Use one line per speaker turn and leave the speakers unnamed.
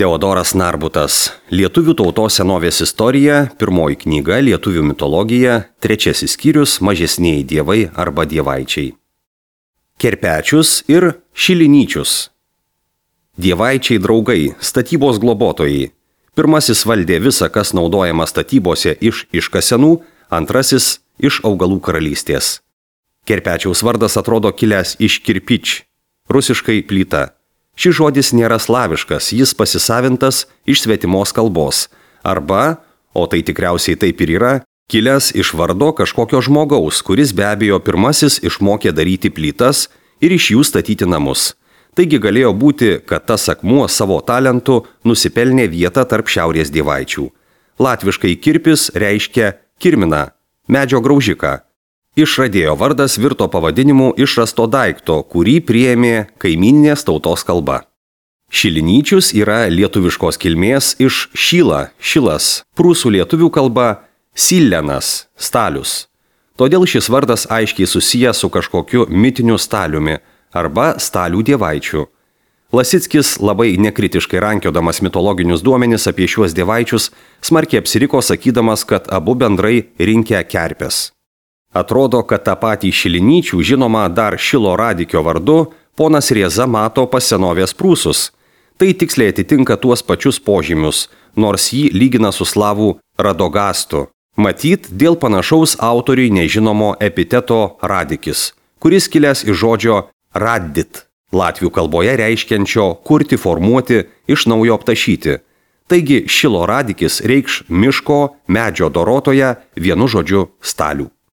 Teodoras Narbutas. Lietuvių tautos senovės istorija, 1 knyga Lietuvių mitologija, 3 skyrius Mažesnieji dievai arba dievaičiai. Kerpečius ir Šilinyčius. Dievaičiai draugai, statybos globotojai. Pirmasis valdė visą, kas naudojama statybose iš iškasenų, antrasis iš augalų karalystės. Kerpečiaus vardas atrodo kilęs iš kirpič, rusiškai plyta. Šis žodis nėra slaviškas, jis pasisavintas iš svetimos kalbos. Arba, o tai tikriausiai taip ir yra, kilęs iš vardo kažkokio žmogaus, kuris be abejo pirmasis išmokė daryti plytas ir iš jų statyti namus. Taigi galėjo būti, kad tas akmuo savo talentu nusipelnė vietą tarp šiaurės dievaičių. Latviškai kirpis reiškia kirminą, medžio graužiką. Išradėjo vardas virto pavadinimu išrasto daikto, kurį priėmė kaimyninės tautos kalba. Šilinyčius yra lietuviškos kilmės iš šyla, šilas, prūsų lietuvių kalba silenas, stalius. Todėl šis vardas aiškiai susijęs su kažkokiu mitiniu staliumi arba stalių dievaičiu. Lasickis, labai nekritiškai rankiodamas mitologinius duomenis apie šiuos dievaičius, smarkiai apsiriko sakydamas, kad abu bendrai rinkę kerpes. Atrodo, kad tą patį Šilinyčių, žinoma dar Šilo Radikio vardu, ponas Rieza mato pas senovės prūsus. Tai tiksliai atitinka tuos pačius požymius, nors jį lygina su slavų Radogastu. Matyt, dėl panašaus autoriui nežinomo epiteto radikis, kuris kilęs iš žodžio raddit, latvių kalboje reiškiančio kurti, formuoti, iš naujo aptašyti. Taigi Šilo Radikis reikš miško, medžio dorotoje, vienu žodžiu stalių.